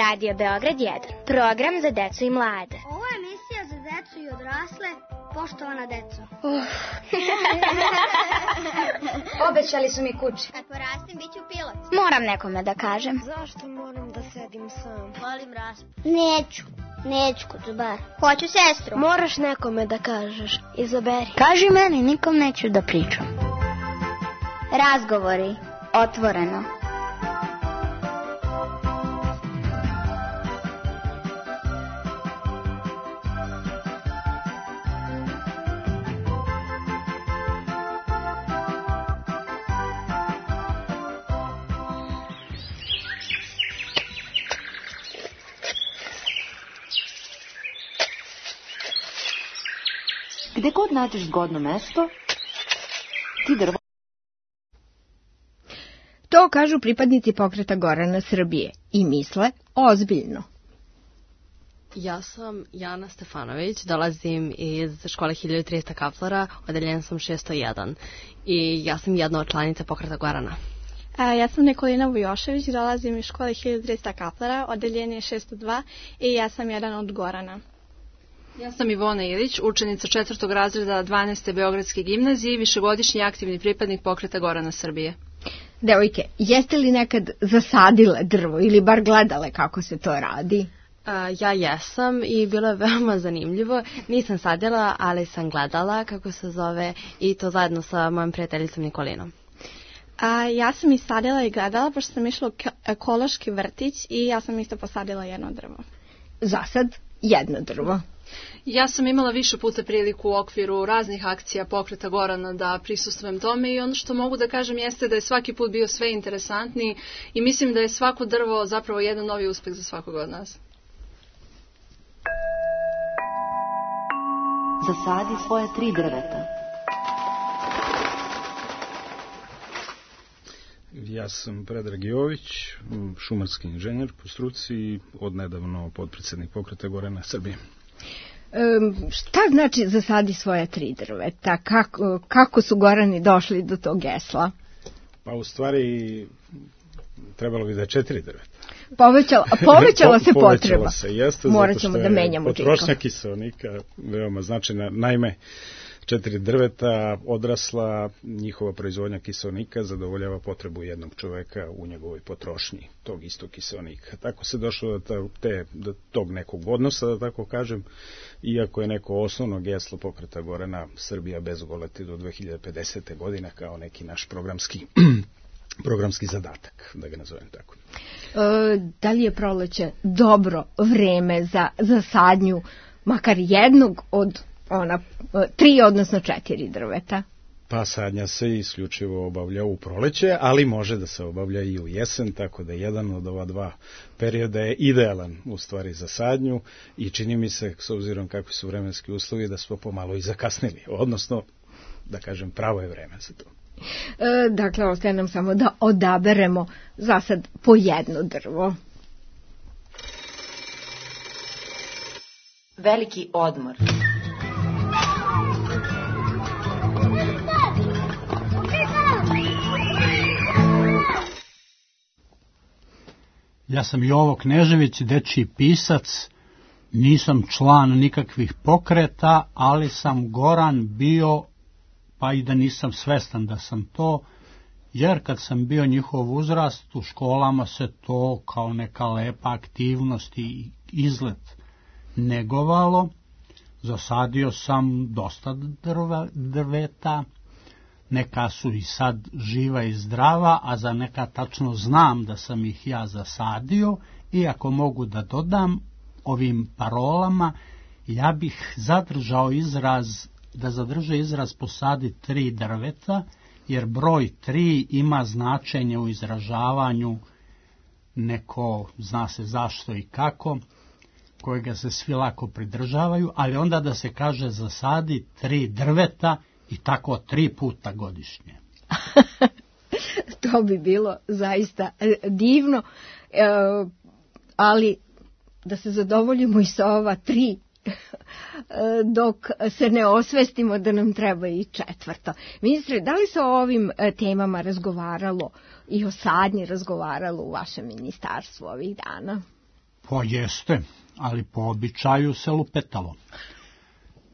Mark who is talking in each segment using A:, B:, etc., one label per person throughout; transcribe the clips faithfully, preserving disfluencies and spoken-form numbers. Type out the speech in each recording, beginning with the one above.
A: Radio Beograd jedan, program za decu i mlade.
B: Ovo je emisija za decu i odrasle, poštovana deco.
A: Uh.
B: Obećali su mi kući.
A: Kad porastim, bit ću pilot. Moram nekome da kažem.
B: Zašto moram da sedim sam?
A: Volim raspad.
B: Neću, neću Kucubar.
A: Hoću sestru.
B: Moraš nekome da kažeš, izaberi.
A: Kaži meni, nikom neću da pričam. Razgovori, otvoreno.
C: Gde god nađeš zgodno mesto, ti drvo...
D: To kažu pripadnici pokreta Gorana Srbije i misle ozbiljno.
E: Ja sam Jana Stefanović, dolazim iz škole hiljadu trista kaplara, odeljen sam šesto jedan i ja sam jedna od članica pokreta Gorana.
F: A, ja sam Nikolina Vujošević, dolazim iz škole hiljadu trista kaplara, odeljenje šesto dva i ja sam jedan od Gorana.
G: Ja sam Ivona Ilić, učenica četvrtog razreda dvanaeste Beogradske gimnazije i višegodišnji aktivni pripadnik pokreta Gorana Srbije.
D: Devojke, jeste li nekad zasadile drvo ili bar gledale kako se to radi?
E: A, ja jesam i bilo je veoma zanimljivo. Nisam sadila, ali sam gledala kako se zove i to zajedno sa mojom prijateljicom Nikolinom.
F: A, ja sam i sadila i gledala, pošto sam išla u ekološki vrtić i ja sam isto posadila jedno drvo.
D: Za sad jedno drvo.
G: Ja sam imala više puta priliku u okviru raznih akcija pokreta Gorana da prisustvujem tome i ono što mogu da kažem jeste da je svaki put bio sve interesantniji i mislim da je svako drvo zapravo jedan novi uspeh za svakog od nas.
C: Zasadi svoje tri drveta.
H: Ja sam Predrag Jović, šumarski inženjer po struci i odnedavno potpredsjednik pokreta Gorana Srbije.
D: Um, šta znači zasadi svoje tri drveta? Kako, kako su Gorani došli do tog gesla?
H: Pa u stvari trebalo bi da je četiri drveta.
D: Povećala, povećala se
H: povećala
D: potreba.
H: Se, jeste,
D: Morat ćemo da menjamo
H: potrošnja kiseonika veoma značajna. Naime, četiri drveta odrasla, njihova proizvodnja kiseonika zadovoljava potrebu jednog čoveka u njegovoj potrošnji tog istog kiseonika. Tako se došlo do, te, do tog nekog odnosa, da tako kažem, iako je neko osnovno geslo pokreta Gorana Srbija bez goleti do dve hiljade pedesete. godine kao neki naš programski programski zadatak, da ga nazovem tako.
D: E, da li je proleće dobro vreme za, za sadnju makar jednog od ona tri, odnosno četiri drveta?
H: Pa sadnja se isključivo obavlja u proleće, ali može da se obavlja i u jesen, tako da jedan od ova dva perioda je idealan u stvari za sadnju i čini mi se, s obzirom kakvi su vremenski uslovi, da smo pomalo i zakasnili, odnosno, da kažem, pravo je vreme za to.
D: E, dakle, ostaje nam samo da odaberemo za sad po jedno drvo.
C: Veliki odmor.
I: Ja sam Jovo Knežević, dečiji pisac, nisam član nikakvih pokreta, ali sam Goran bio, pa i da nisam svestan da sam to, jer kad sam bio njihov uzrast, u školama se to kao neka lepa aktivnost i izlet negovalo. Zasadio sam dosta drva, drveta, neka su i sad živa i zdrava, a za neka tačno znam da sam ih ja zasadio i ako mogu da dodam ovim parolama, ja bih zadržao izraz, da zadrže izraz posadi tri drveta, jer broj tri ima značenje u izražavanju neko, zna se zašto i kako, kojega se svi lako pridržavaju, ali onda da se kaže zasadi tri drveta i tako tri puta godišnje.
D: To bi bilo zaista divno, e, ali da se zadovoljimo i sa ova tri, dok se ne osvestimo da nam treba i četvrto. Ministre, da li se o ovim temama razgovaralo i o sadnji razgovaralo u vašem ministarstvu ovih dana?
I: Po jeste, ali po običaju se lupetalo.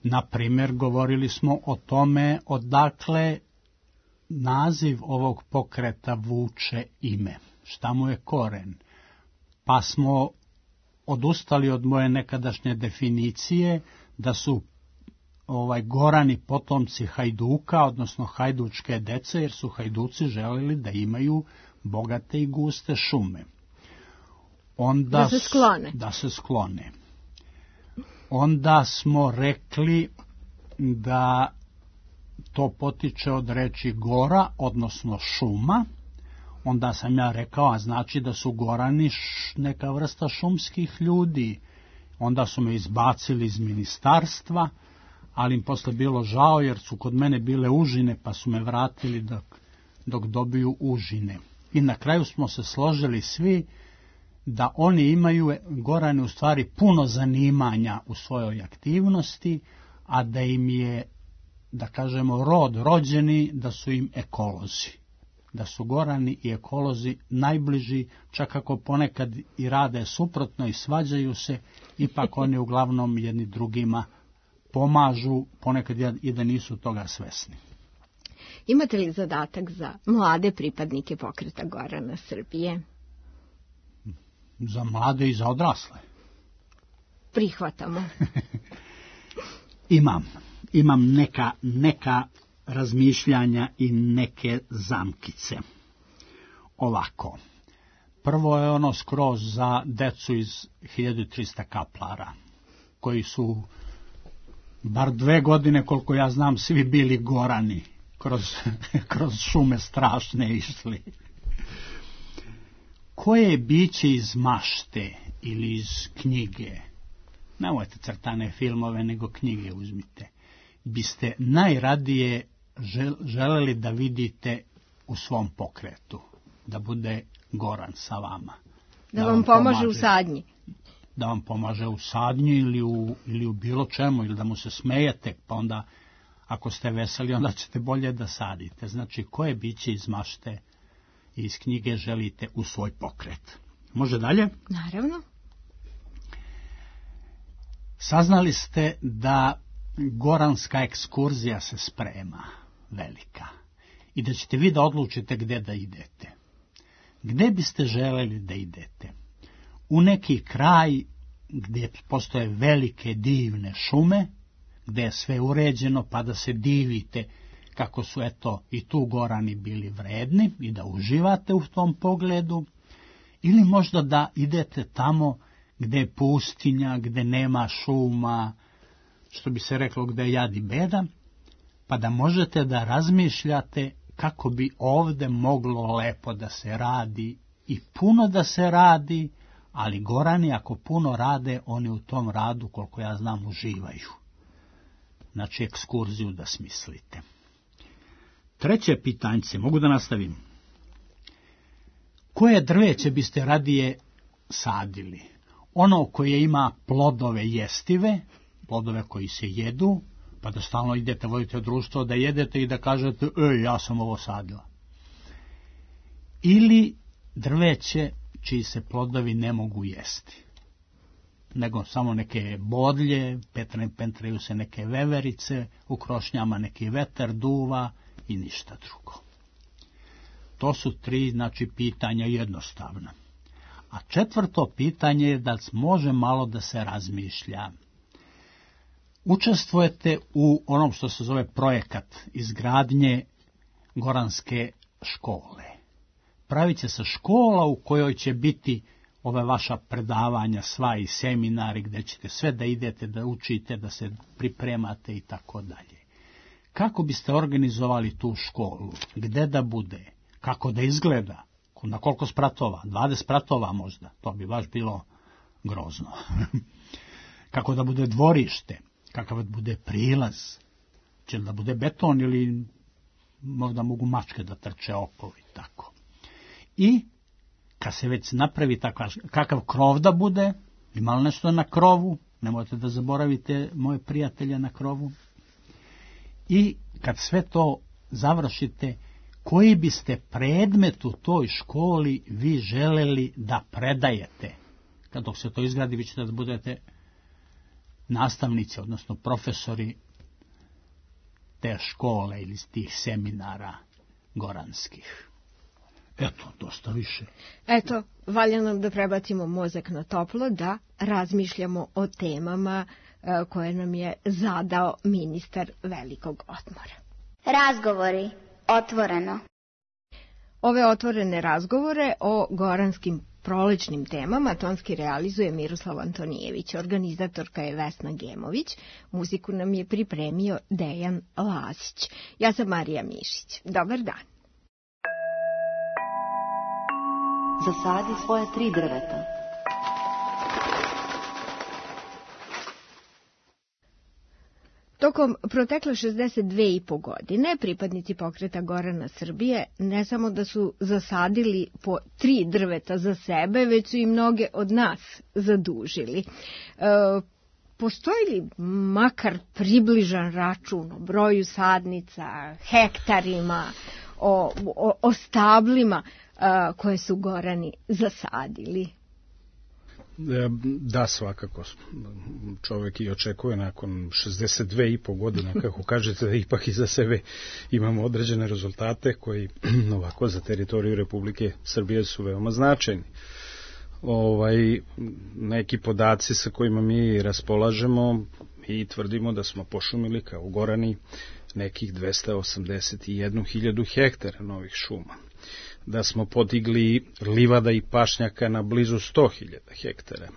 I: Na primjer, govorili smo o tome odakle naziv ovog pokreta vuče ime. Šta mu je koren? Pa smo odustali od moje nekadašnje definicije da su ovaj Gorani potomci Hajduka, odnosno hajdučke dece, jer su Hajduci želeli da imaju bogate i guste šume. Onda
D: da se sklone.
I: Da se sklone. Onda smo rekli da to potiče od reči gora, odnosno šuma. Onda sam ja rekao, a znači da su Gorani neka vrsta šumskih ljudi. Onda su me izbacili iz ministarstva, ali im posle bilo žao jer su kod mene bile užine, pa su me vratili dok, dok dobiju užine. I na kraju smo se složili svi da oni imaju, Gorani, u stvari puno zanimanja u svojoj aktivnosti, a da im je, da kažemo, rod rođeni, da su im ekolozi. Da su Gorani i ekolozi najbliži, čak ako ponekad i rade suprotno i svađaju se, ipak oni uglavnom jedni drugima pomažu, ponekad i da nisu toga svesni.
D: Imate li zadatak za mlade pripadnike pokreta Gorana Srbije?
I: Za mlade i za odrasle.
D: Prihvatamo.
I: Imam. Imam neka, neka razmišljanja i neke zamkice. Ovako. Prvo je ono skroz za decu iz hiljadu trista kaplara, koji su bar dve godine, koliko ja znam, svi bili Gorani, kroz, kroz šume strašne išli. Koje biće iz mašte ili iz knjige, nemojte crtane filmove, nego knjige uzmite, biste najradije želeli da vidite u svom pokretu, da bude Goran sa vama.
D: Da, da vam pomaže, pomaže u sadnji.
I: Da vam pomaže u sadnji ili u, ili u bilo čemu, ili da mu se smejete, pa onda ako ste veseli, onda ćete bolje da sadite. Znači, koje biće iz mašte i iz knjige želite u svoj pokret? Može dalje?
D: Naravno.
I: Saznali ste da goranska ekskurzija se sprema, velika, i da ćete vi da odlučite gde da idete. Gde biste želeli da idete? U neki kraj gdje postoje velike divne šume, gde je sve uređeno, pa da se divite kako su eto i tu Gorani bili vredni i da uživate u tom pogledu, ili možda da idete tamo gde je pustinja, gde nema šuma, što bi se reklo gde je jad i beda, pa da možete da razmišljate kako bi ovde moglo lepo da se radi i puno da se radi, ali Gorani ako puno rade, oni u tom radu, koliko ja znam, uživaju. Znači, ekskurziju da smislite. Treće pitanjce, mogu da nastavim? Koje drveće biste radije sadili? Ono koje ima plodove jestive, plodove koji se jedu, pa da stalno idete, vodite društvo, da jedete i da kažete, ej, ja sam ovo sadila. Ili drveće čiji se plodovi ne mogu jesti, nego samo neke bodlje, pentraju se neke veverice, u krošnjama neki vetar duva i ništa drugo. To su tri, znači, pitanja jednostavna. A četvrto pitanje je da može malo da se razmišlja. Učestvujete u onom što se zove projekat izgradnje goranske škole. Pravit će se škola u kojoj će biti ove vaša predavanja, sva i seminari, gde ćete sve da idete, da učite, da se pripremate i tako dalje. Kako biste organizovali tu školu? Gde da bude? Kako da izgleda? Na koliko spratova? dvadeset spratova možda? To bi baš bilo grozno. Kako da bude dvorište? Kakav da bude prilaz? Će da bude beton ili možda mogu mačke da trče okolo i tako. I kad se već napravi takav, kakav krov da bude, ima li nešto na krovu, nemojte da zaboravite moje prijatelje na krovu. I kad sve to završite, koji biste predmet u toj školi vi želeli da predajete kad dok se to izgradi, vi ćete da budete nastavnici, odnosno profesori te škole ili tih seminara goranskih. Eto, dosta više.
D: Eto, valja nam da prebacimo mozak na toplo, da razmišljamo o temama e, koje nam je zadao ministar velikog odmora.
A: Razgovori. Otvoreno.
D: Ove otvorene razgovore o goranskim prolećnim temama tonski realizuje Miroslav Antonijević, organizatorka je Vesna Gemović, muziku nam je pripremio Dejan Lazić. Ja sam Marija Mišić. Dobar dan.
C: Zasadi svoje tri drveta.
D: Tokom protekle šezdeset dve i po godine pripadnici pokreta Gorana Srbije ne samo da su zasadili po tri drveta za sebe, već su i mnoge od nas zadužili. E, postoji li makar približan račun o broju sadnica, hektarima, o, o, o stablima a, koje su Gorani zasadili?
H: Da, svakako. Čovjek i očekuje nakon šezdeset dve i po godine, kako kažete, da ipak iza sebe imamo određene rezultate koji ovako za teritoriju Republike Srbije su veoma značajni. Ovaj, neki podaci sa kojima mi raspolažemo i tvrdimo da smo pošumili kao Gorani nekih dvesta osamdeset jednu hiljadu hektara novih šuma, da smo podigli livada i pašnjaka na blizu sto hiljada hektara,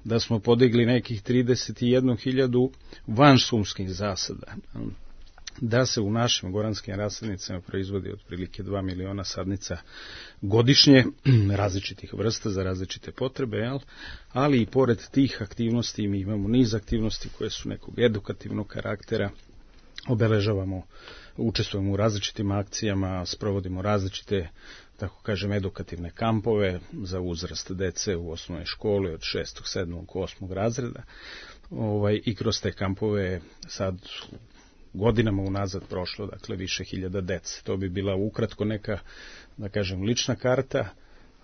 H: da smo podigli nekih trideset jednu hiljadu vanšumskih zasada, da se u našim goranskim rasadnicama proizvodi otprilike dva miliona sadnica godišnje, različitih vrsta za različite potrebe, jel? Ali i pored tih aktivnosti mi imamo niz aktivnosti koje su nekog edukativnog karaktera, obeležavamo, učestvujemo u različitim akcijama, sprovodimo različite, tako kažem, edukativne kampove za uzrast dece u osnovnoj školi od šestog, sedmog, osmog razreda. Ovaj, i kroz te kampove sad godinama unazad prošlo, dakle, više hiljada dece. To bi bila ukratko neka, da kažem, lična karta,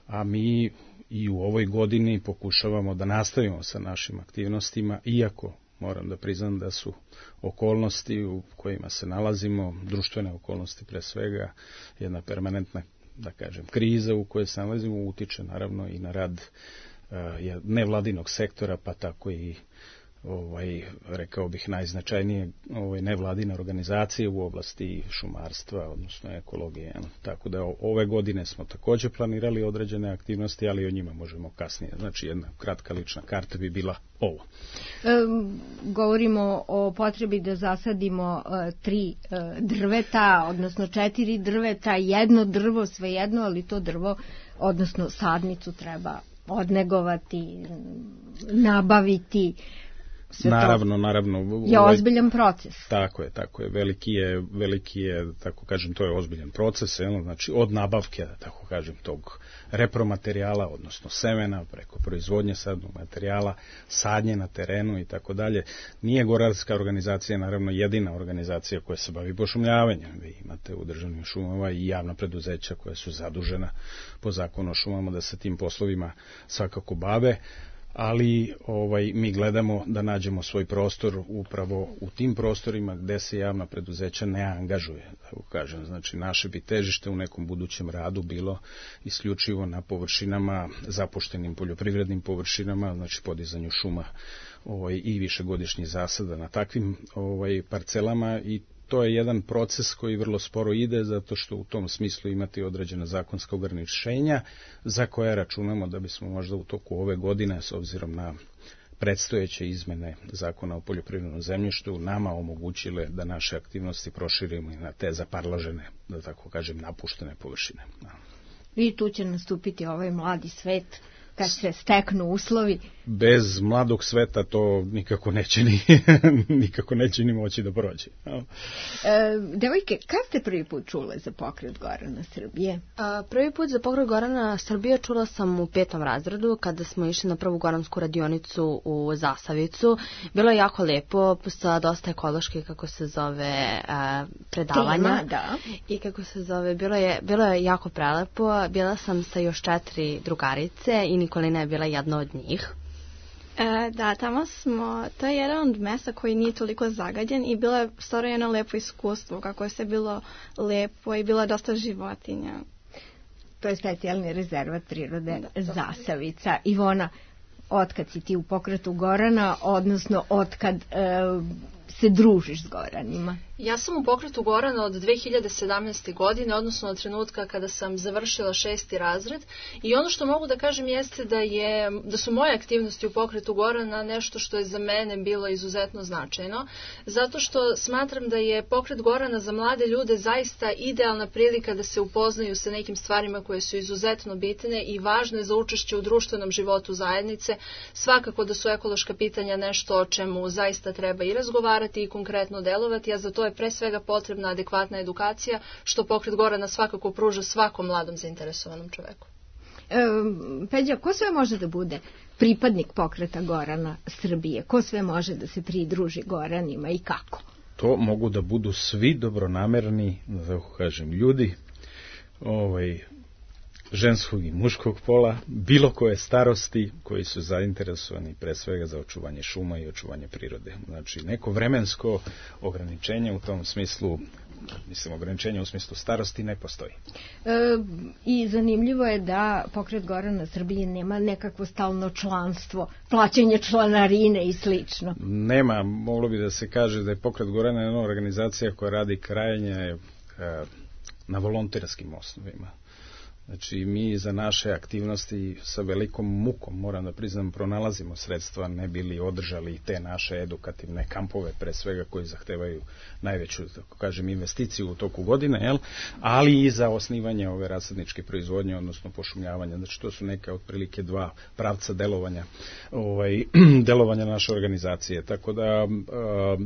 H: a mi i u ovoj godini pokušavamo da nastavimo sa našim aktivnostima, iako moram da priznam da su okolnosti u kojima se nalazimo, društvene okolnosti pre svega, jedna permanentna, da kažem, kriza u kojoj se nalazimo, utiče naravno i na rad uh, nevladinog sektora, pa tako i ovaj, rekao bih, najznačajnije ovaj, nevladine organizacije u oblasti šumarstva, odnosno ekologije. Tako da ove godine smo također planirali određene aktivnosti, ali o njima možemo kasnije. Znači, jedna kratka lična karta bi bila ovo.
D: E, govorimo o potrebi da zasadimo e, tri e, drveta, odnosno četiri drveta, jedno drvo, svejedno, ali to drvo, odnosno sadnicu treba odnegovati, nabaviti. Sve
H: naravno, naravno.
D: Je ozbiljan proces.
H: Tako je, tako je. Veliki je, veliki je, tako kažem, to je ozbiljan proces, jedno, znači od nabavke, tako kažem, tog repromaterijala, odnosno semena, preko proizvodnje sadnog materijala, sadnje na terenu i tako dalje. Nije gorarska organizacija, naravno, jedina organizacija koja se bavi pošumljavanjem. Vi imate u državnim šumama i javna preduzeća koja su zadužena po zakonu o šumama da se tim poslovima svakako bave, ali ovaj, mi gledamo da nađemo svoj prostor upravo u tim prostorima gde se javna preduzeća ne angažuje, tako kažem. Znači, naše bi težište u nekom budućem radu bilo isključivo na površinama, zapuštenim poljoprivrednim površinama, znači podizanju šuma ovaj, i višegodišnjih zasada na takvim ovaj, parcelama, i to je jedan proces koji vrlo sporo ide, zato što u tom smislu imati određena zakonska ograničenja za koje računamo da bismo možda u toku ove godine, s obzirom na predstojeće izmene zakona o poljoprivrednom zemljištu, nama omogućile da naše aktivnosti proširimo i na te zaparložene, da tako kažem, napuštene površine.
D: I tu će nastupiti ovaj mladi svet kad se steknu uslovi.
H: Bez mladog sveta to nikako neće ni, nikako neće ni moći da prođe.
D: E, devojke, kad ste prvi put čule za pokret Gorana Srbije?
E: A, prvi put za pokret Gorana Srbije čula sam u petom razredu, kada smo išli na prvu goransku radionicu u Zasavicu. Bilo je jako lepo, sa dosta ekoloških, kako se zove, a, predavanja.
D: Tema, da.
E: I kako se zove, bilo je, bilo je jako prelepo. Bila sam sa još četiri drugarice i Nikolina je bila jedna od njih.
F: E, da, tamo smo, to je jedan od mesta koji nije toliko zagađen i bilo je stvarno jedno lepo iskustvo, kako je sve bilo lepo i bilo dosta životinja.
D: To je specijalni rezervat prirode da, Zasavica. Ivona, otkad si ti u pokretu Gorana, odnosno otkad e, se družiš s Goranima?
G: Ja sam u pokretu Gorana od dve hiljade sedamnaeste. godine, odnosno od trenutka kada sam završila šesti razred, i ono što mogu da kažem jeste da, je, da su moje aktivnosti u pokretu Gorana nešto što je za mene bilo izuzetno značajno, zato što smatram da je pokret Gorana za mlade ljude zaista idealna prilika da se upoznaju sa nekim stvarima koje su izuzetno bitne i važne za učešće u društvenom životu zajednice. Svakako da su ekološka pitanja nešto o čemu zaista treba i razgovarati i konkretno delovati, a za to je pre svega potrebna adekvatna edukacija, što pokret Gorana svakako pruža svakom mladom zainteresovanom čoveku.
D: E, Peđa, ko sve može da bude pripadnik pokreta Gorana Srbije? Ko sve može da se pridruži Goranima i kako?
H: To mogu da budu svi dobronamerni, da tako kažem, ljudi, ovaj, ženskog i muškog pola, bilo koje starosti, koji su zainteresovani pre svega za očuvanje šuma i očuvanje prirode. Znači, neko vremensko ograničenje u tom smislu, mislim, ograničenje u smislu starosti ne postoji.
D: E, I zanimljivo je da pokret Gorana Srbije nema nekakvo stalno članstvo, plaćanje članarine i slično.
H: Nema, moglo bi da se kaže da je pokret Gorana jedna organizacija koja radi krajnje e, na volonterskim osnovima. Znači, mi za naše aktivnosti sa velikom mukom, moram da priznam, pronalazimo sredstva, ne bili održali te naše edukativne kampove, pre svega koji zahtevaju najveću, tako kažem, investiciju u toku godine, jel? Ali i za osnivanje ove rasadničke proizvodnje, odnosno pošumljavanja. Znači, to su neka otprilike dva pravca delovanja, ovaj, delovanja naše organizacije. Tako da, a,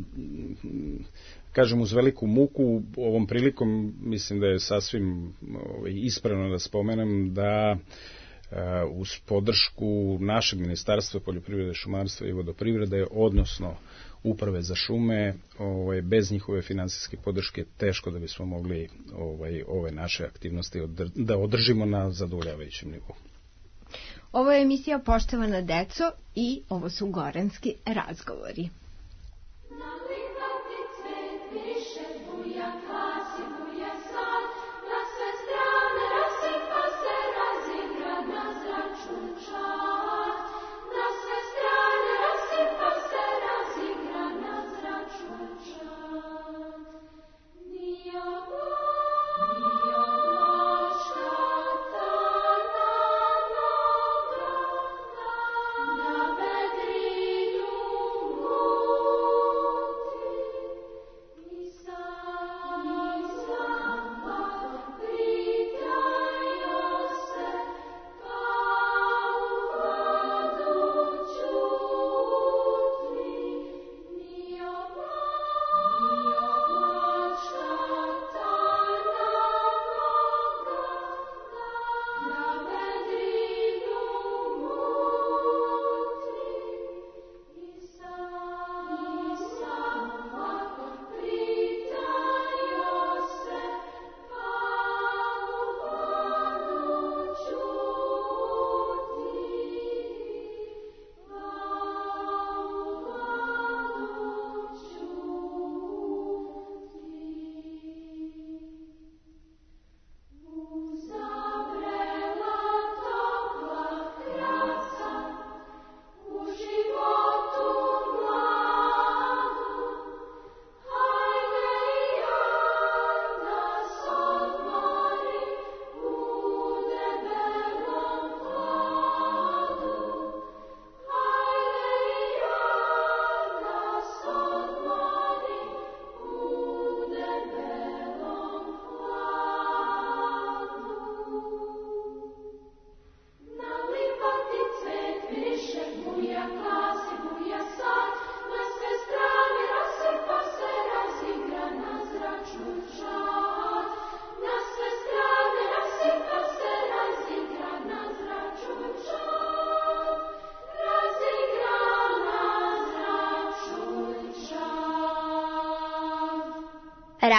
H: kažem, uz veliku muku, ovom prilikom mislim da je sasvim ovaj, ispravno da spomenem da uh, uz podršku našeg Ministarstva poljoprivrede, šumarstva i vodoprivrede, odnosno Uprave za šume, ovaj, bez njihove finansijske podrške teško da bismo mogli ovaj, ove naše aktivnosti odr da održimo na zadovoljavajućem nivou.
D: Ovo je emisija Poštovana deco i ovo su Goranski razgovori.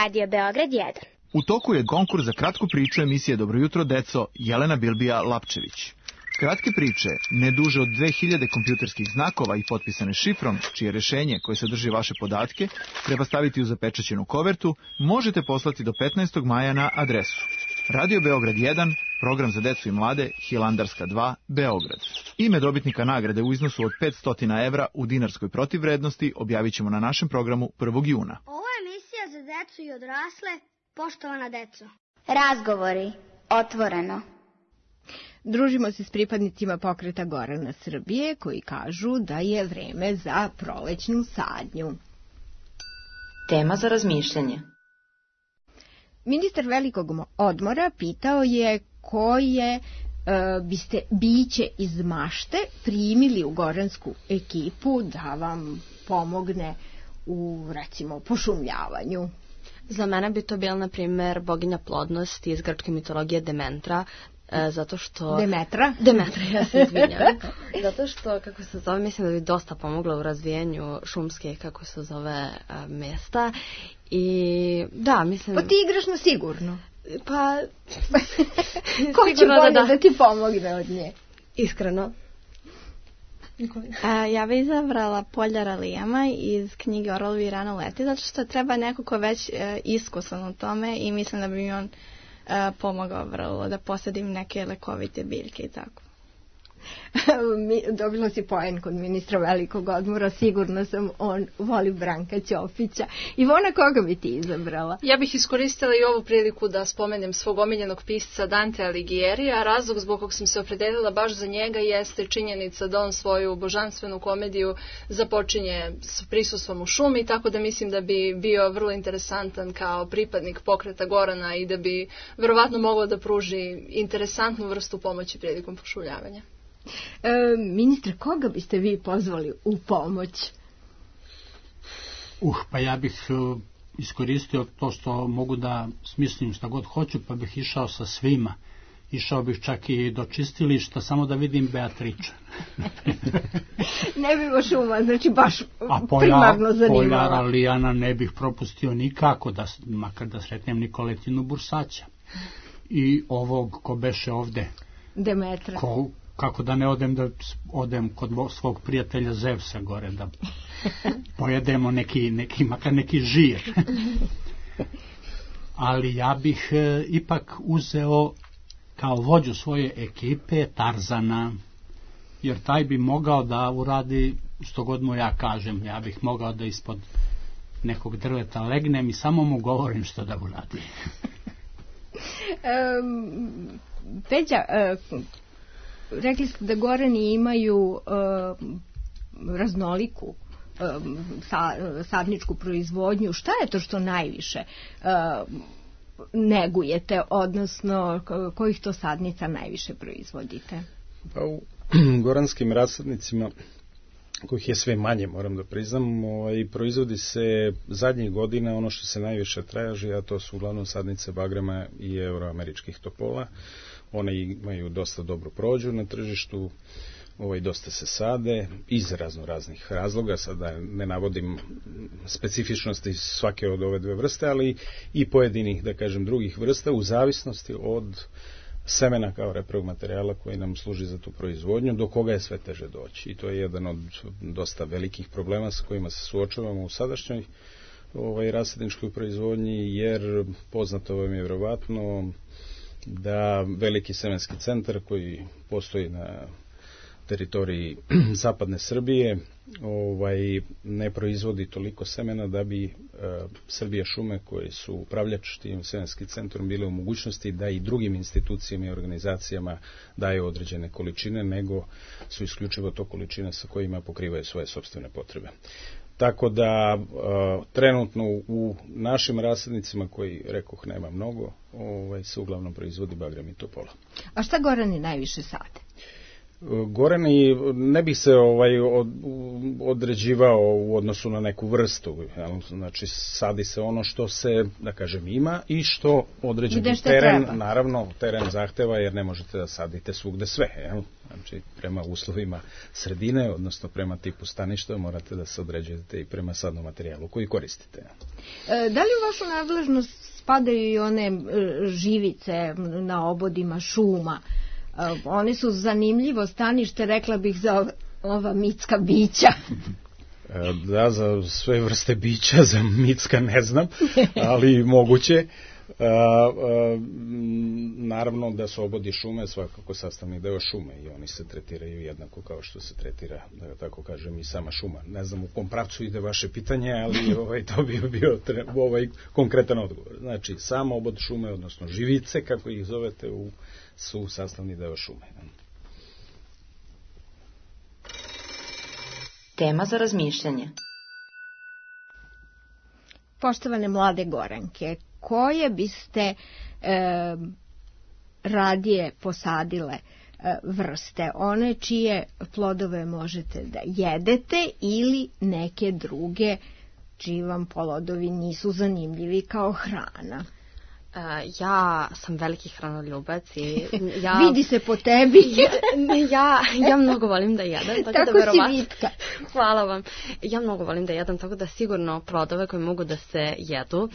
A: Radio Beograd jedan.
J: U toku je konkurs za kratku priču emisije Dobro jutro, deco, Jelena Bilbija Lapčević. Kratke priče, ne duže od dve hiljade kompjuterskih znakova i potpisane šifrom, čije rešenje koje sadrži vaše podatke treba staviti u zapečaćenu kovertu, možete poslati do petnaestog maja na adresu Radio Beograd jedan, program za decu i mlade, Hilandarska dva, Beograd. Ime dobitnika nagrade u iznosu od petsto evra u dinarskoj protivvrednosti objavit ćemo na našem programu prvog juna.
B: Ovo je emisija za decu i odrasle, poštovana deco.
A: Razgovori. Otvoreno.
D: Družimo se s pripadnicima pokreta Gorana Srbije koji kažu da je vreme za prolećnu sadnju.
C: Tema za razmišljanje.
D: Ministar velikog odmora pitao je koje e, biste biće iz mašte primili u goransku ekipu da vam pomogne u, recimo, pošumljavanju.
E: Za mene bi to bila, na primjer, boginja plodnosti iz grčke mitologije Demetra, e, zato što...
D: Demetra?
E: Demetra, ja se izvinjam. Zato što, kako se zove, mislim da bi dosta pomogla u razvijenju šumske, kako se zove, mesta. I da, mislim...
D: Pa ti igraš na sigurno.
E: Pa...
D: Ko će bolje da, da. da ti pomogne od nje?
E: Iskreno.
F: A, ja bih izabrala Poljara Lijama iz knjige Orlovi i rano leti, zato što treba neko ko već e, iskusan u tome i mislim da bi mi on e, pomogao vrlo da posadim neke lekovite biljke i tako.
D: Dobila si poen kod ministra velikog odmora, sigurno sam, on voli Branka Ćopića. Ivona, koga bi ti izabrala?
G: Ja bih iskoristila i ovu priliku da spomenem svog omiljenog pisca Dante Alighieri, a razlog zbog kog sam se opredelila baš za njega jeste činjenica da on svoju božanstvenu komediju započinje s prisustvom u šumi, tako da mislim da bi bio vrlo interesantan kao pripadnik pokreta Gorana i da bi verovatno mogao da pruži interesantnu vrstu pomoći prilikom pošumljavanja.
D: E, ministre, koga biste vi pozvali u pomoć?
I: Uh, pa ja bih uh, iskoristio to što mogu da smislim šta god hoću, pa bih išao sa svima. Išao bih čak i do čistilišta, samo da vidim Beatriča.
D: Ne bi baš uma, znači baš
I: A polja,
D: primarno zanimala.
I: Poljara Lijana ne bih propustio nikako, da, makar da sretnem Nikoletinu Bursaća. I ovog ko beše ovde.
D: Demetra.
I: Ko, kako da ne odem da odem kod svog prijatelja Zevsa gore da pojedemo neki, neki makar neki žir. Ali ja bih e, ipak uzeo kao vođu svoje ekipe Tarzana, jer taj bi mogao da uradi što god mu ja kažem. Ja bih mogao da ispod nekog drveta legnem i samo mu govorim što da uradi.
D: um, Peđa, uh, rekli ste da Gorani imaju uh, raznoliku uh, sa, sadničku proizvodnju. Šta je to što najviše uh, negujete, odnosno kojih to sadnica najviše proizvodite?
H: Pa u goranskim rasadnicima, kojih je sve manje, moram da priznam, ovaj, proizvodi se zadnjih godina ono što se najviše traži, a to su uglavnom sadnice bagrema i euroameričkih topola. One imaju dosta dobru prođu na tržištu, ovaj, dosta se sade iz razno raznih razloga, sada ne navodim specifičnosti svake od ove dve vrste, ali i pojedinih, da kažem, drugih vrsta u zavisnosti od semena kao reprog materijala koji nam služi za tu proizvodnju, do koga je sve teže doći. I to je jedan od dosta velikih problema sa kojima se suočavamo u sadašnjoj ovaj, rasadničkoj proizvodnji, jer poznato vam je vjerovatno da veliki semenski centar koji postoji na teritoriji zapadne Srbije ovaj, ne proizvodi toliko semena da bi e, Srbija šume koje su upravljač tim semenskim centrom bile u mogućnosti da i drugim institucijama i organizacijama daju određene količine, nego su isključivo to količine sa kojima pokrivaju svoje sopstvene potrebe. Tako da e, trenutno u našim rasadnicima, koji rekoh nema mnogo, ovaj, se uglavnom proizvodi bagrem i topola.
D: A šta Gorani najviše sade?
H: Gorani, ne bih se ovaj od, određivao u odnosu na neku vrstu, znači sadi se ono što se, da kažem, ima i što određeni teren, treba. Naravno, teren zahteva, jer ne možete da sadite svugde sve, jel? Znači prema uslovima sredine, odnosno prema tipu staništa, morate da se određujete i prema sadnom materijalu koji koristite.
D: E, da li u vašu nadležnost spadaju i one živice na obodima šuma? Oni su zanimljivo stanište, rekla bih, za ova mitska bića.
H: Da, za sve vrste bića, za mitska ne znam, ali moguće. A, a, naravno da su obodi šume svakako sastavni deo šume i oni se tretiraju jednako kao što se tretira, da tako kažem, i sama šuma. Ne znam u kom pravcu ide vaše pitanje, ali ovaj, to bi bio ovaj konkretan odgovor. Znači, sam obod šume, odnosno živice, kako ih zovete, u, su sastavni deo šume.
C: Tema za razmišljanje.
D: Poštovane mlade Goranke, koje biste e, radije posadile e, vrste? One čije plodove možete da jedete ili neke druge čiji vam plodovi nisu zanimljivi kao hrana?
E: Uh, ja sam veliki hranoljubac i ja...
D: Vidi se po tebi.
E: ja, ja, ja mnogo volim da jedem. Tako,
D: tako
E: da verovatno...
D: si vitka.
E: Hvala vam. Ja mnogo volim da jedem, tako da sigurno plodove koji mogu da se jedu.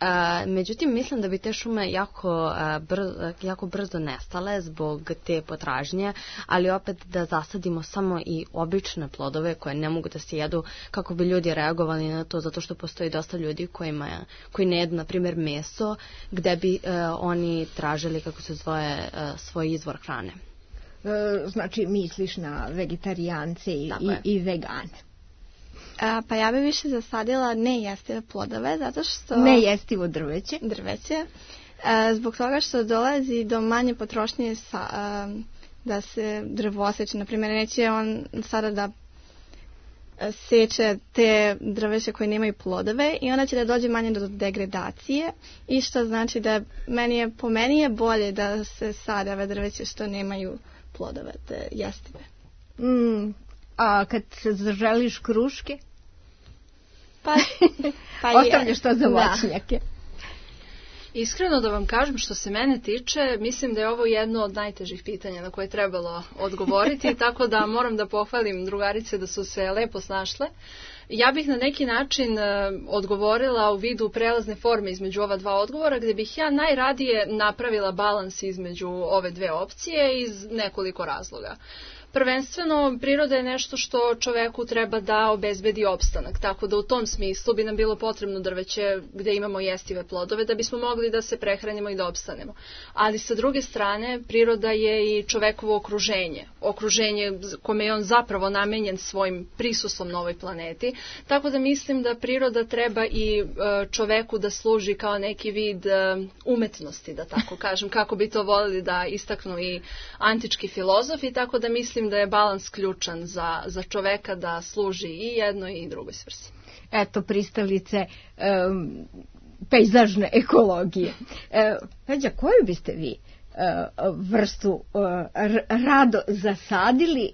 E: Uh, međutim, mislim da bi te šume jako, uh, brzo, jako brzo nestale zbog te potražnje, ali opet da zasadimo samo i obične plodove koje ne mogu da se jedu, kako bi ljudi reagovali na to, zato što postoji dosta ljudi kojima, koji ne jedu, na primjer, meso, gde bi uh, oni tražili, kako se zove, uh, svoj izvor hrane.
D: E, znači, misliš na vegetarijance i, i, i vegane.
F: A, pa ja bi više zasadila nejestive plodove, zato što...
D: Nejestivo drveće.
F: Drveće. A, zbog toga što dolazi do manje potrošnje sa, a, da se drvo oseče. Naprimjer, neće on sada da seče te drveće koje nemaju plodove i onda će da dođe manje do degradacije i što znači da meni je, po meni je bolje da se sade ove drveće što nemaju plodove, te jestive.
D: Mm, a kad se zaželiš kruške?
F: Pa, pa
D: ostavljaš to za voćnjake.
G: Iskreno da vam kažem, što se mene tiče, mislim da je ovo jedno od najtežih pitanja na koje je trebalo odgovoriti, tako da moram da pohvalim drugarice da su se lepo snašle. Ja bih na neki način odgovorila u vidu prelazne forme između ova dva odgovora, gdje bih ja najradije napravila balans između ove dve opcije iz nekoliko razloga. Prvenstveno, priroda je nešto što čoveku treba da obezbedi opstanak, tako da u tom smislu bi nam bilo potrebno drveće gdje imamo jestive plodove da bismo mogli da se prehranimo i da opstanemo. Ali sa druge strane, priroda je i čovekovo okruženje, okruženje kome je on zapravo namenjen svojim prisustvom na ovoj planeti, tako da mislim da priroda treba i čoveku da služi kao neki vid umetnosti, da tako kažem, kako bi to volili da istaknu i antički filozofi, tako da mislim da je balans ključan za, za čoveka da služi i jednoj i drugoj svrsi.
D: Eto, pristalice um, pejzažne ekologije. E, Peđa, koju biste vi uh, vrstu uh, rado zasadili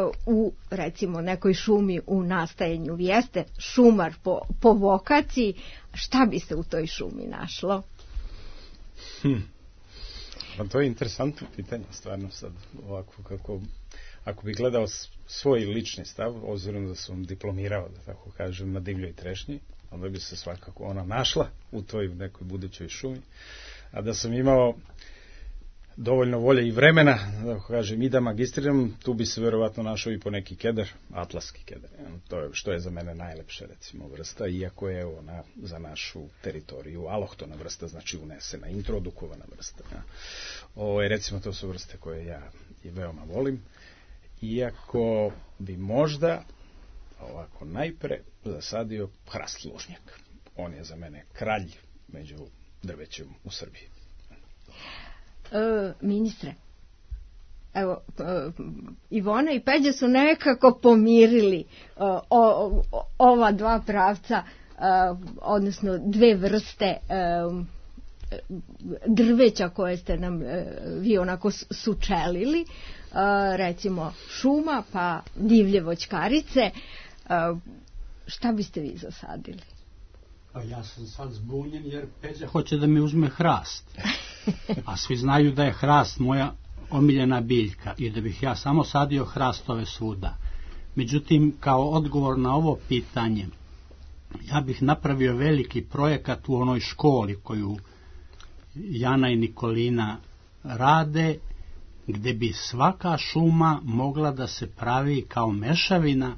D: uh, u, recimo, nekoj šumi u nastajanju? Vi jeste šumar po, po vokaciji. Šta bi se u toj šumi našlo?
H: Hm. Pa to je interesantno pitanje, stvarno sad ovako kako... Ako bih gledao svoj lični stav, obzirom da sam diplomirao, da tako kažem, na divljoj trešnji, onda bi se svakako ona našla u toj nekoj budućoj šumi. A da sam imao dovoljno volje i vremena, da tako kažem, i da magistriram, tu bi se verovatno našao i po neki keder, atlaski keder. To je što je za mene najlepša, recimo, vrsta, iako je ona za našu teritoriju alohtona vrsta, znači unesena, introdukovana vrsta. Ovo je, recimo, to su vrste koje ja i veoma volim. Iako bi možda ovako najpre zasadio hrast lužnjak. On je za mene kralj među drvećem u Srbiji.
D: E, ministre, evo, e, Ivona i Peđa su nekako pomirili o, o, ova dva pravca, e, odnosno dve vrste e, drveća koje ste nam e, vi onako sučelili. Uh, recimo šuma pa divlje voćkarice. Uh, šta biste vi zasadili?
I: Pa ja sam sad zbunjen jer Peđa hoće da mi uzme hrast, a svi znaju da je hrast moja omiljena biljka i da bih ja samo sadio hrastove svuda. Međutim, kao odgovor na ovo pitanje, ja bih napravio veliki projekat u onoj školi koju Jana i Nikolina rade, gde bi svaka šuma mogla da se pravi kao mešavina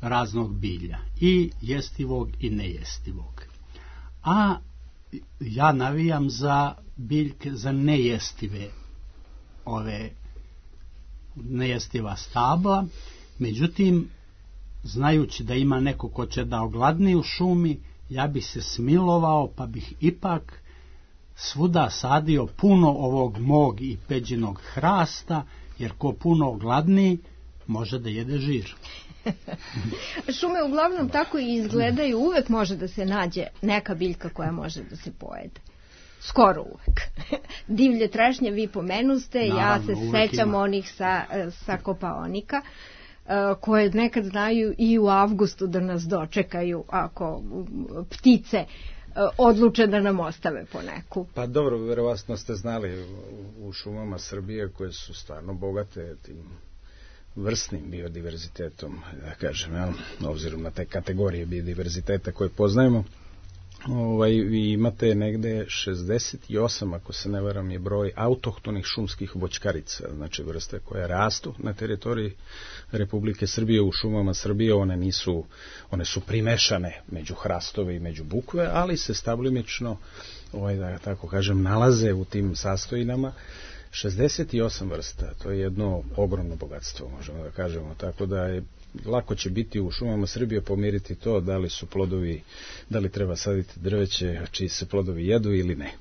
I: raznog bilja, i jestivog i nejestivog. A ja navijam za biljke, za nejestive ove nejestiva stabla, međutim, znajući da ima neko ko će da ogladni u šumi, ja bih se smilovao, pa bih ipak svuda sadio puno ovog mog i peđinog hrasta, jer ko puno ogladni, može da jede žir.
D: Šume uglavnom tako i izgledaju, uvek može da se nađe neka biljka koja može da se pojede. Skoro uvek. Divlje trešnje vi pomenuste, naravno, ja se sećam ima. Onih sa, sa Kopaonika, koje nekad znaju i u avgustu da nas dočekaju ako ptice odluče da nam ostave po neku.
H: Pa dobro, verovatno ste znali u šumama Srbije koje su stvarno bogate tim vrstnim biodiverzitetom, da kažem, ja, obzirom na te kategorije biodiverziteta koje poznajemo. Ovaj, vi imate negde šezdeset osam, ako se ne varam, je broj autohtonih šumskih voćkarica, znači vrste koje rastu na teritoriji Republike Srbije, u šumama Srbije. One nisu, one su primešane među hrastove i među bukve, ali se stablimično, ovaj, da tako kažem, nalaze u tim sastojinama. šezdeset osam vrsta, to je jedno ogromno bogatstvo, možemo da kažemo, tako da je lako će biti u šumama Srbije pomiriti to da li su plodovi, da li treba saditi drveće čiji se plodovi jedu ili ne.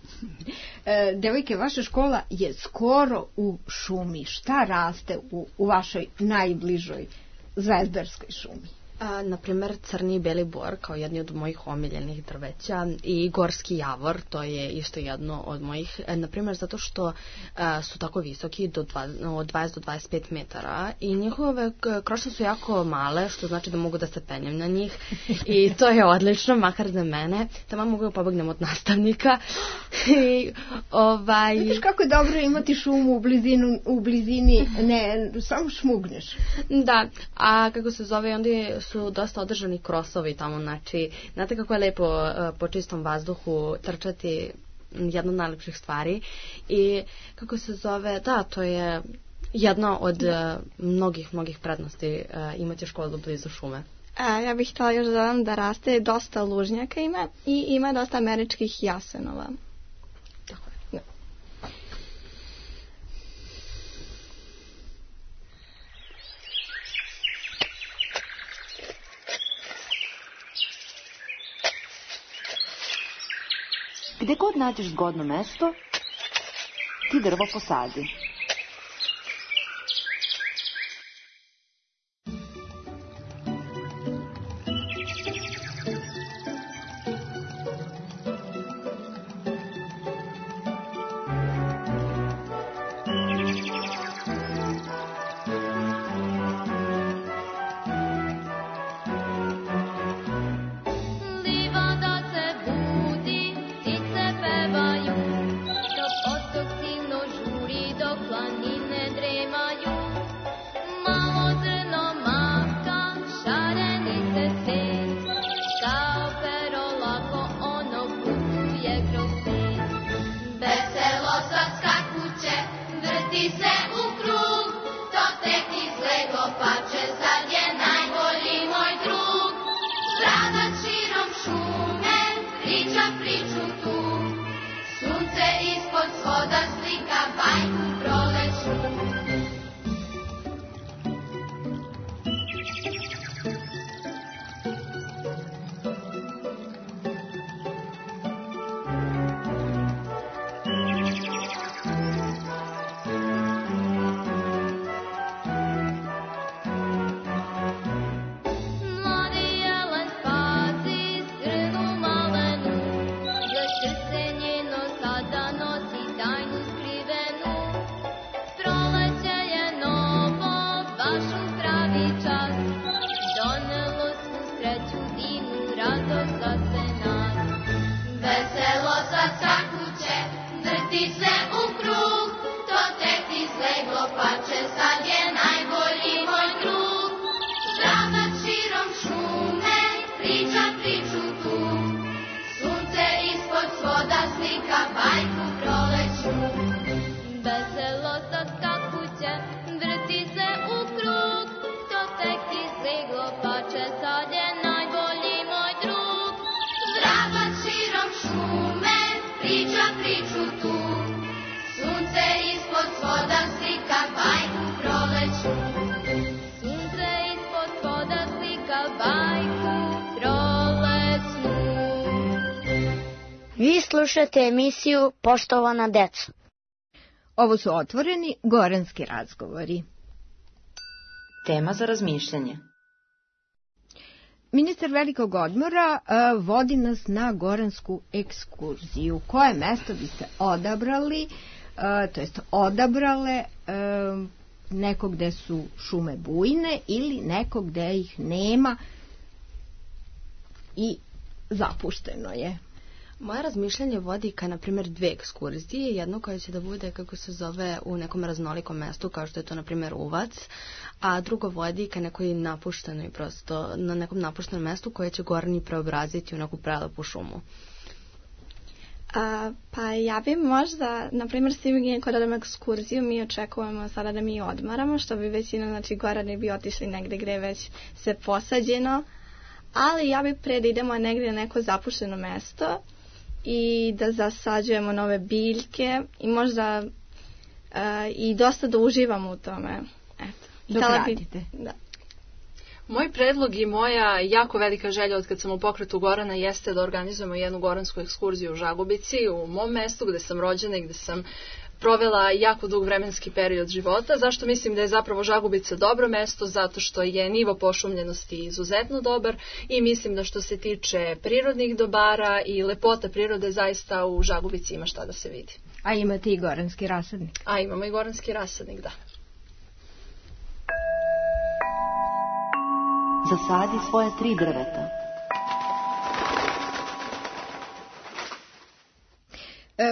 D: E, devojke, vaša škola je skoro u šumi. Šta raste u, u vašoj najbližoj zvezdarskoj šumi?
E: A, na primjer, crni i beli bor kao jedni od mojih omiljenih drveća, i gorski javor, to je isto jedno od mojih, na primjer zato što a, su tako visoki do dva, od dvadeset do dvadeset pet metara i njihove krošnje su jako male, što znači da mogu da se penjem na njih i to je odlično, makar za mene, tamo mogu da pobegnem od nastavnika. I, ovaj...
D: Vidiš kako je dobro imati šumu u, blizinu, u blizini, ne, samo šmugneš.
E: Da, a kako se zove, onda su dosta održani krosovi tamo, znači, znate kako je lepo uh, po čistom vazduhu trčati, jedna od najlepših stvari, i kako se zove, da, to je jedna od uh, mnogih, mnogih prednosti uh, imati školu blizu šume.
F: A, ja bih htjela još dodam da raste dosta lužnjaka ima i ima dosta američkih jasenova.
E: Tako je.
F: Da.
C: Gde god nađeš zgodno mesto, ti drvo posadi.
K: Veselo sa priču tu. Sunce ispod svoda slika bajku proleću. Sunce ispod svoda slika bajku proleću.
B: Vi slušate emisiju Poštovana deco.
D: Ovo su otvoreni goranski razgovori.
C: Tema za razmišljanje.
D: Ministar velikog odmora uh, vodi nas na goransku ekskurziju. Koje mesto biste odabrali, uh, to jest odabrale, uh, neko gde su šume bujne ili neko gde ih nema i zapušteno je?
E: Moje razmišljanje vodi ka, na primjer, dve ekskurzije. Jedno koja će da bude, kako se zove, u nekom raznolikom mestu, kao što je to, na primjer, Uvac, a drugo vodi ka nekoj napuštenoj, prosto, na nekom napuštenom mestu koje će Gorani preobraziti u neku prelepu šumu.
F: A, pa ja bi možda, na primjer, svi kod odemo ekskurziju, mi očekujemo sada da mi odmaramo, što bi većina, znači, Gorani bi otišli negde gde već se posađeno, ali ja bi pre da idemo negde na neko zapušteno mesto i da zasađujemo nove biljke i možda uh, i dosta da uživamo u tome. Eto.
D: Dok radite.
F: Da.
G: Moj predlog i moja jako velika želja od kad sam u pokretu Gorana jeste da organizujemo jednu goransku ekskurziju u Žagubici, u mom mestu gde sam rođena i gde sam provela jako dug vremenski period života. Zašto mislim da je zapravo Žagubica dobro mesto? Zato što je nivo pošumljenosti izuzetno dobar i mislim da što se tiče prirodnih dobara i lepota prirode, zaista u Žagubici ima šta da se vidi.
D: A imate i goranski rasadnik?
G: A imamo i goranski rasadnik, da.
C: Zasadi svoje tri drveta.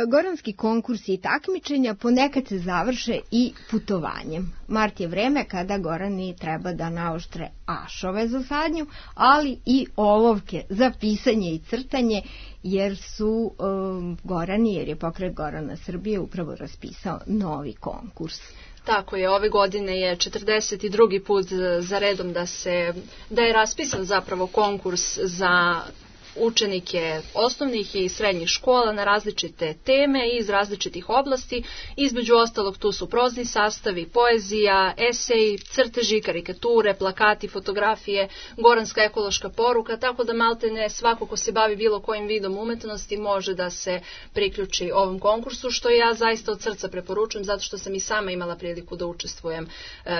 D: Goranski konkursi i takmičenja ponekad se završe i putovanjem. Mart je vreme kada Gorani treba da naoštre ašove za sadnju, ali i olovke za pisanje i crtanje, jer su um, Gorani, jer je pokret Gorana Srbije upravo raspisao novi konkurs.
G: Tako je, ove godine je četrdeset drugi put za redom da se da je raspisan zapravo konkurs za učenike osnovnih i srednjih škola na različite teme iz različitih oblasti. Između ostalog tu su prozni sastavi, poezija, esej, crteži, karikature, plakati, fotografije, goranska ekološka poruka, tako da maltene svako ko se bavi bilo kojim vidom umetnosti može da se priključi ovom konkursu, što ja zaista od srca preporučujem, zato što sam i sama imala priliku da učestvujem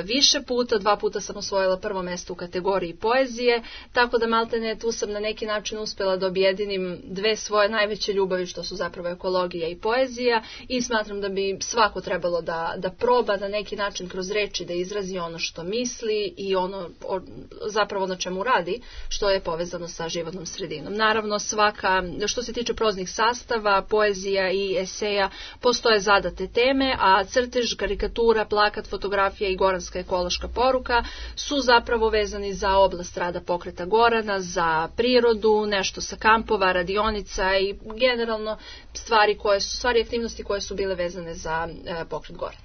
G: više puta. Dva puta sam osvojila prvo mesto u kategoriji poezije, tako da maltene tu sam na neki način uspela da objedinim dve svoje najveće ljubavi, što su zapravo ekologija i poezija, i smatram da bi svako trebalo da, da proba na neki način kroz reči da izrazi ono što misli i ono o, zapravo na čemu radi, što je povezano sa životnom sredinom. Naravno, svaka, što se tiče proznih sastava, poezija i eseja, postoje zadate teme, a crtež, karikatura, plakat, fotografija i goranska ekološka poruka su zapravo vezani za oblast rada pokreta Gorana, za prirodu, nešto sa kampova, radionica i generalno stvari koje su, stvari aktivnosti koje su bile vezane za e, pokret Gorana.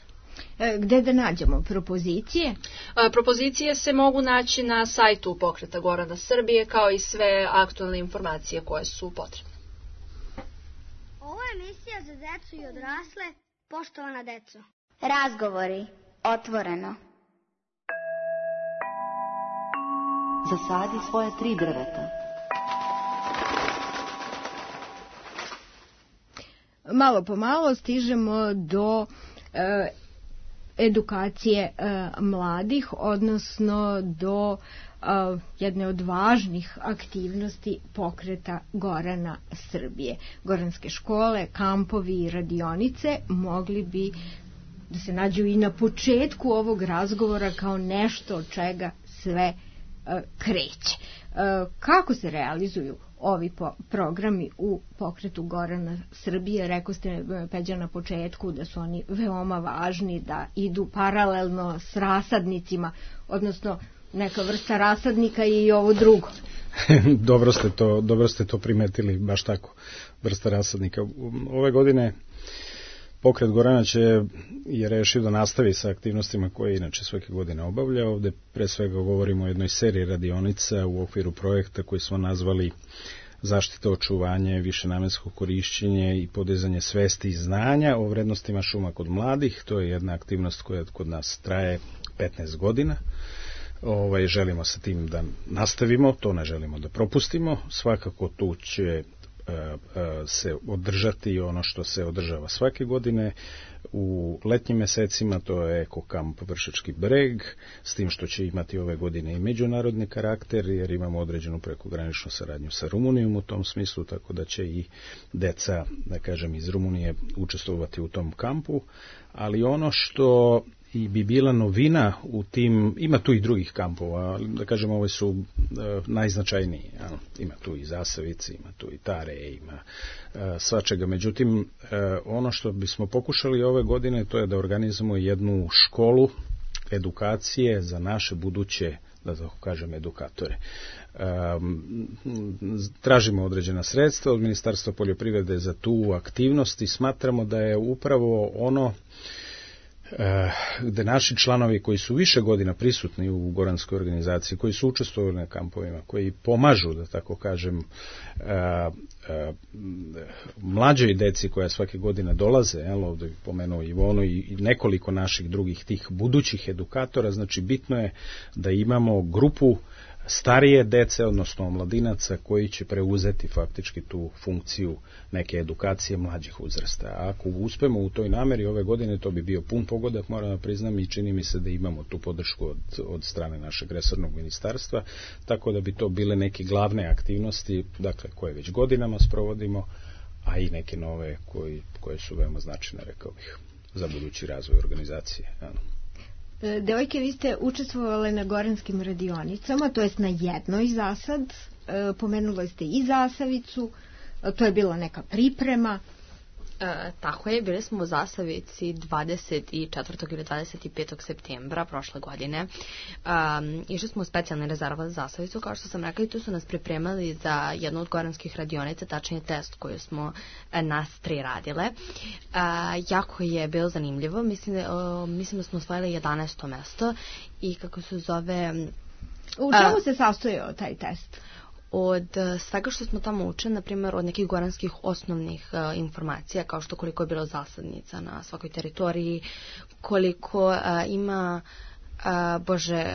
D: E, gde da nađemo propozicije?
G: E, propozicije se mogu naći na sajtu pokreta Gorana Srbije, kao i sve aktualne informacije koje su potrebne.
B: Ovo je emisija za decu i odrasle, poštovana deco.
A: Razgovori, otvoreno.
C: Zasadi svoje tri drveta.
D: Malo po malo stižemo do e, edukacije e, mladih, odnosno do e, jedne od važnih aktivnosti pokreta Gorana Srbije. Goranske škole, kampovi i radionice mogli bi da se nađu i na početku ovog razgovora kao nešto od čega sve e, kreće. E, kako se realizuju ovi po, programi u pokretu Gorana Srbije? Rekao ste, Peđa, na početku da su oni veoma važni, da idu paralelno s rasadnicima, odnosno neka vrsta rasadnika i ovo drugo.
H: dobro, ste to, dobro ste to primetili, baš tako, vrsta rasadnika. Ove godine pokret Gorana će, je rešio da nastavi sa aktivnostima koje inače svake godine obavlja. Ovde pre svega govorimo o jednoj seriji radionica u okviru projekta koji smo nazvali zaštita, očuvanje, višenamensko korišćenje i podizanje svesti i znanja o vrednostima šuma kod mladih. To je jedna aktivnost koja kod nas traje petnaest godina. Ovaj, želimo sa tim da nastavimo, to ne želimo da propustimo. Svakako tu će se održati ono što se održava svake godine u letnjim mesecima, to je Eko kamp Vršački breg, s tim što će imati ove godine i međunarodni karakter, jer imamo određenu prekograničnu saradnju sa Rumunijom u tom smislu, tako da će i deca, da kažem, iz Rumunije učestvovati u tom kampu, ali ono što i bi bila novina u tim, ima tu i drugih kampova, ali da kažem, ove su e, najznačajniji. Ja, ima tu i Zasavici, ima tu i Tare, ima e, svačega. Međutim, e, ono što bismo pokušali ove godine, to je da organizujemo jednu školu edukacije za naše buduće, da tako kažem, edukatore. E, tražimo određena sredstva od Ministarstva poljoprivrede za tu aktivnost i smatramo da je upravo ono gde naši članovi koji su više godina prisutni u goranskoj organizaciji, koji su učestvovali na kampovima, koji pomažu, da tako kažem, mlađoj deci koja svake godine dolaze, jel, ovdje pomenuo Ivonu i nekoliko naših drugih tih budućih edukatora, znači bitno je da imamo grupu starije dece, odnosno omladinaca, koji će preuzeti faktički tu funkciju neke edukacije mlađih uzrasta. A ako uspemo u toj nameri ove godine, to bi bio pun pogodak, moram da priznam, i čini mi se da imamo tu podršku od, od strane našeg resornog ministarstva, tako da bi to bile neke glavne aktivnosti, dakle, koje već godinama sprovodimo, a i neke nove koji, koje su veoma značajne, rekao bih, za budući razvoj organizacije. Ano.
D: Devojke, vi ste učestvovali na goranskim radionicama, to jest na jednoj za sad, pomenuli ste i Zasavicu, to je bila neka priprema.
E: E, tako je, bili smo u Zasavici dvadeset četvrtog ili dvadeset petog septembra prošle godine. Um, išli smo u specijalni rezervat za Zasavicu, kao što sam rekla, i tu su nas pripremali za jednu od goranskih radionica, tačnije test koju smo e, nas tri radile. E, jako je bilo zanimljivo, mislim da, o, mislim da smo osvojili jedanaesto mesto i kako se zove...
D: U čemu se sastojao taj test?
E: Od svega što smo tamo učili, na primjer od nekih goranskih osnovnih uh, informacija, kao što koliko je bilo zasadnica na svakoj teritoriji, koliko uh, ima uh, Bože...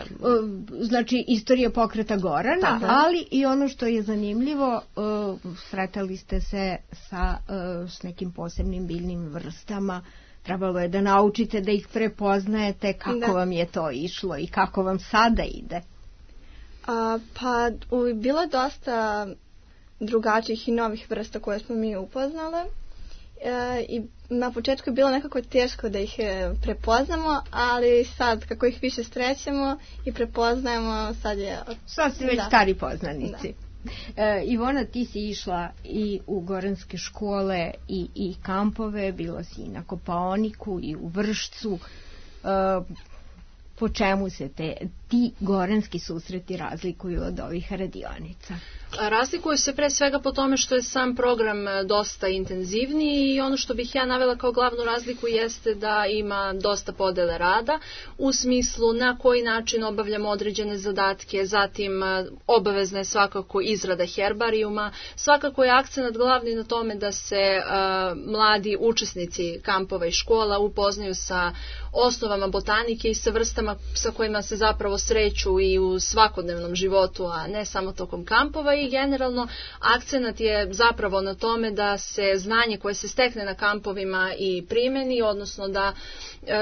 D: Znači, istorija pokreta Gorana,
E: Tako.
D: ali i ono što je zanimljivo, uh, sretali ste se sa uh, s nekim posebnim biljnim vrstama, trebalo je da naučite da ih prepoznajete, kako da. vam je to išlo i kako vam sada ide.
F: A, pa u, bilo dosta drugačijih i novih vrsta koje smo mi upoznale e, i na početku je bilo nekako teško da ih prepoznamo, ali sad kako ih više srećemo i prepoznajemo, sad je...
D: Sad su već da. stari poznanici. Da. E, Ivona, ti si išla i u goranske škole i, i kampove, bila si i na Kopaoniku i u Vršcu. E, po čemu se te, ti goranski susreti razlikuju od ovih radionica?
G: Razlikuju se pre svega po tome što je sam program dosta intenzivniji i ono što bih ja navela kao glavnu razliku jeste da ima dosta podele rada u smislu na koji način obavljamo određene zadatke, zatim obavezna je svakako izrada herbarijuma, svakako je akcenat glavni na tome da se uh, mladi učesnici kampova i škola upoznaju sa osnovama botanike i sa vrstama sa kojima se zapravo sreću i u svakodnevnom životu, a ne samo tokom kampova. I generalno akcenat je zapravo na tome da se znanje koje se stekne na kampovima i primeni, odnosno da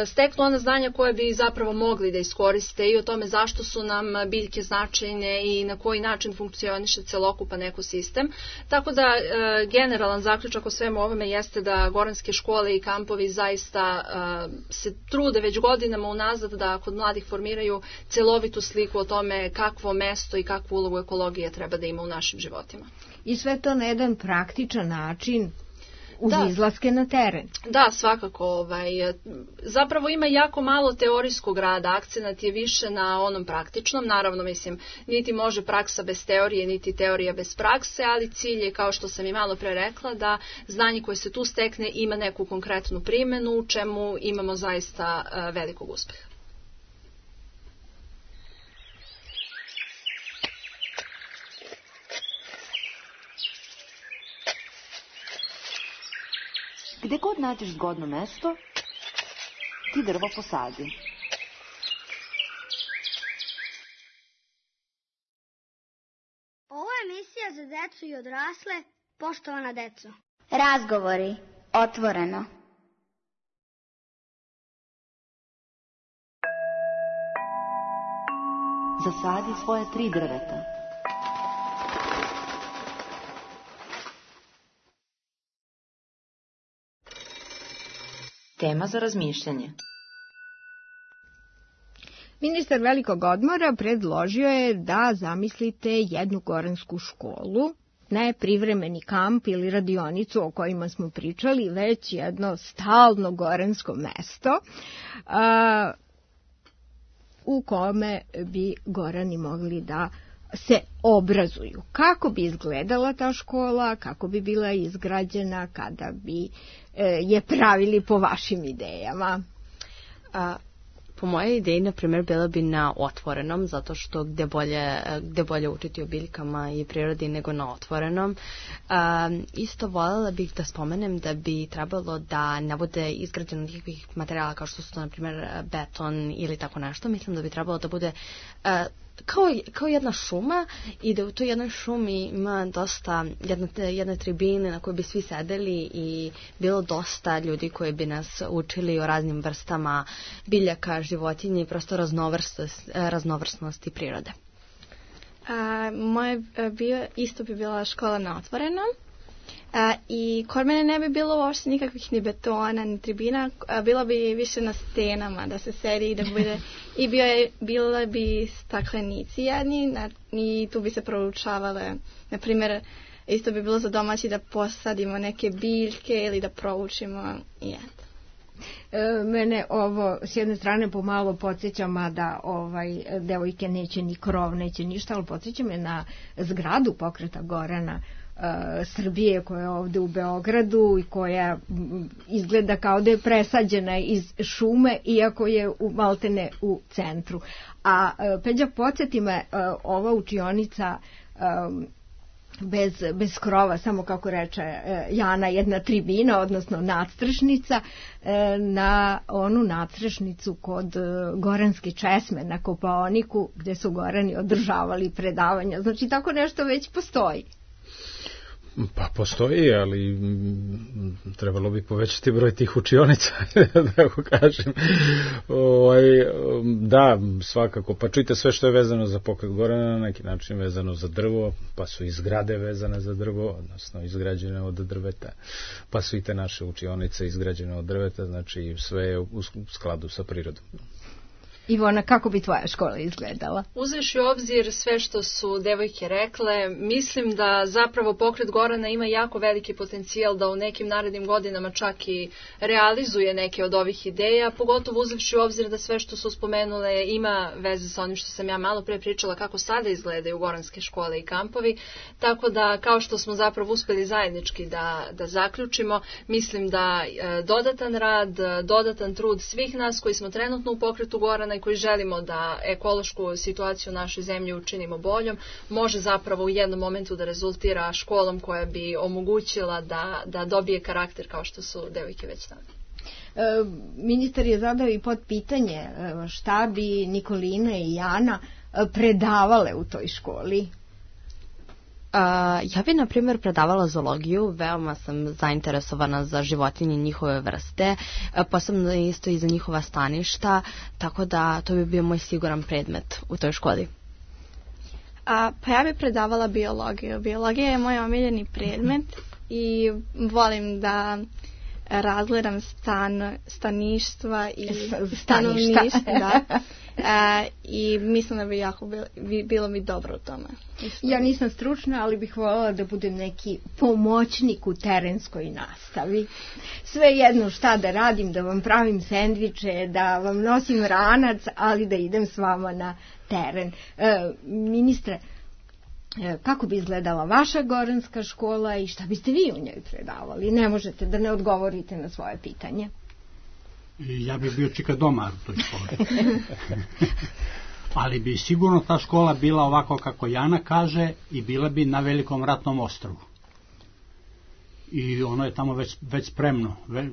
G: steknu ona znanja koje bi zapravo mogli da iskoriste i o tome zašto su nam biljke značajne i na koji način funkcioniše celokupan ekosistem. Tako da generalan zaključak o svemu ovome jeste da goranske škole i kampovi zaista se trude već godinama unazad da kod mladih formiraju celovitu sliku o tome kakvo mesto i kakvu ulogu ekologije treba da ima u našim životima.
D: I sve to na jedan praktičan način uz da. izlaske na teren.
G: Da, svakako. Ovaj, zapravo ima jako malo teorijskog rada, akcenat je više na onom praktičnom. Naravno, mislim, niti može praksa bez teorije, niti teorija bez prakse, ali cilj je, kao što sam i malo pre rekla, da znanje koje se tu stekne ima neku konkretnu primjenu, u čemu imamo zaista uh, velikog uspeha.
C: Gde god nađeš zgodno mesto, ti drvo posadi.
B: Ovo je emisija za decu i odrasle, poštovana deco.
A: Razgovori, otvoreno.
C: Zasadi svoje tri drveta. Tema za razmišljanje.
D: Ministar Velikog odmora predložio je da zamislite jednu goransku školu, ne privremeni kamp ili radionicu o kojima smo pričali, već jedno stalno goransko mesto a, u kome bi gorani mogli da se obrazuju. Kako bi izgledala ta škola, kako bi bila izgrađena, kada bi e, je pravili po vašim idejama?
E: A, po mojoj ideji, na primjer, bila bi na otvorenom, zato što gde bolje, gde bolje učiti o biljkama i prirodi nego na otvorenom. A, isto voljela bih da spomenem da bi trebalo da ne bude izgrađeno nikakvih materijala kao što su to, na primjer, beton ili tako nešto. Mislim da bi trebalo da bude a, Kao, kao jedna šuma i da u toj jednoj šumi ima dosta jedne, jedne tribine na kojoj bi svi sedeli i bilo dosta ljudi koji bi nas učili o raznim vrstama biljaka, životinje i prosto raznovrsnost, raznovrsnosti prirode.
F: A, moje bio, isto bi bila škola na otvorenom. A, I kod mene ne bi bilo uopšte nikakvih ni betona, ni tribina, a, bilo bi više na stenama da se sedi i da bude, i bio je, bilo bi staklenici jedni na, i tu bi se proučavale, na primjer, isto bi bilo za domaći da posadimo neke biljke ili da proučimo i eto.
D: E, mene ovo s jedne strane pomalo podsjeća, mada ovaj, devojke neće ni krov, neće ništa, ali podsjeća me na zgradu Pokreta Gorana Srbije koja je ovde u Beogradu i koja izgleda kao da je presađena iz šume, iako je u, maltene u centru. A Peđa, podsjeti me, ova učionica bez, bez krova, samo kako reče Jana, jedna tribina, odnosno nadstrešnica, na onu nadstrešnicu kod Goranske česme na Kopaoniku, gde su Gorani održavali predavanja. Znači, tako nešto već postoji.
H: Pa postoji, ali m, trebalo bi povećati broj tih učionica, da tako kažem. Ovaj, da, svakako. Pa čujte, sve što je vezano za Pokret Gorana, na neki način vezano za drvo, pa su i zgrade vezane za drvo, odnosno izgrađene od drveta, pa su i te naše učionice izgrađene od drveta, znači sve je u skladu sa prirodom.
D: Ivona, kako bi tvoja škola izgledala?
G: Uzevši u obzir sve što su devojke rekle, mislim da zapravo Pokret Gorana ima jako veliki potencijal da u nekim narednim godinama čak i realizuje neke od ovih ideja, pogotovo uzevši u obzir da sve što su spomenule ima veze sa onim što sam ja malo pre pričala, kako sada izgledaju goranske škole i kampovi, tako da kao što smo zapravo uspeli zajednički da, da zaključimo, mislim da e, dodatan rad, dodatan trud svih nas koji smo trenutno u Pokretu Gorana koji želimo da ekološku situaciju u našoj zemlji učinimo boljom, može zapravo u jednom momentu da rezultira školom koja bi omogućila da, da dobije karakter kao što su devojke već tamo.
D: E, ministar je zadao i pod pitanje šta bi Nikolina i Jana predavale u toj školi.
E: Uh, ja bi, na primjer, predavala zoologiju, veoma sam zainteresovana za životinje i njihove vrste, uh, posebno isto i za njihova staništa, tako da to bi bio moj siguran predmet u toj školi.
F: A, pa ja bi predavala biologiju. Biologija je moj omiljeni predmet i volim da razgledam stan, staništva i stanovništva. Da. E, I mislim da bi jako bilo, bilo mi dobro u tome. Isto.
D: Ja nisam stručna, ali bih voljela da budem neki pomoćnik u terenskoj nastavi. Sve jedno šta da radim, da vam pravim sendviče, da vam nosim ranac, ali da idem s vama na teren. E, ministre, kako bi izgledala vaša goranska škola i šta biste vi u njoj predavali? Ne možete da ne odgovorite na svoje pitanje.
I: Ja bih bio čikadomar u toj školi. Ali bi sigurno ta škola bila ovako kako Jana kaže i bila bi na Velikom ratnom ostrvu. i ono je tamo već, već spremno. Ve,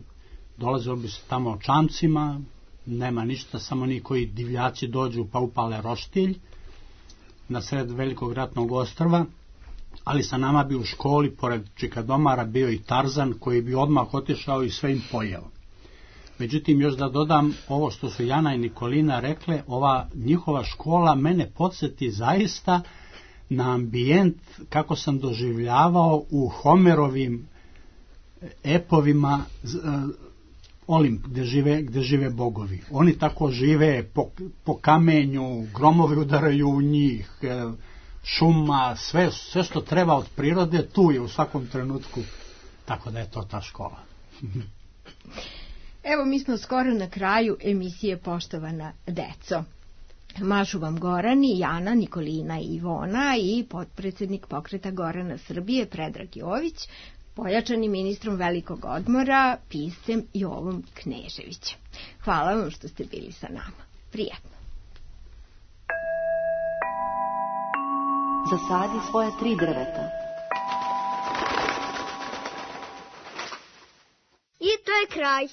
I: dolazilo bi se tamo čamcima, nema ništa, samo oni koji divljaci dođu pa upale roštilj na sred velikog ratnog ostrva, ali sa nama bi u školi, pored čikadomara, bio i Tarzan koji bi odmah otišao i sve im pojeo. Međutim, još da dodam ovo što su Jana i Nikolina rekle, ova njihova škola mene podsjeti zaista na ambijent kako sam doživljavao u Homerovim epovima Olimp, gde žive, gde žive bogovi. Oni tako žive po, po kamenju, gromovi udaraju u njih, šuma, sve, sve što treba od prirode, tu je u svakom trenutku, tako da je to ta škola.
D: Evo, mi smo skoro na kraju emisije Poštovana deco. Mažu vam Gorani, Jana, Nikolina i Ivona i potpredsjednik Pokreta Gorana Srbije Predrag Jović, pojačani ministrom velikog odmora, piscem Jovom Kneževićem. Hvala vam što ste bili sa nama. Prijatno.
C: Zasadi svoja tri drveta.
B: I to je kraj.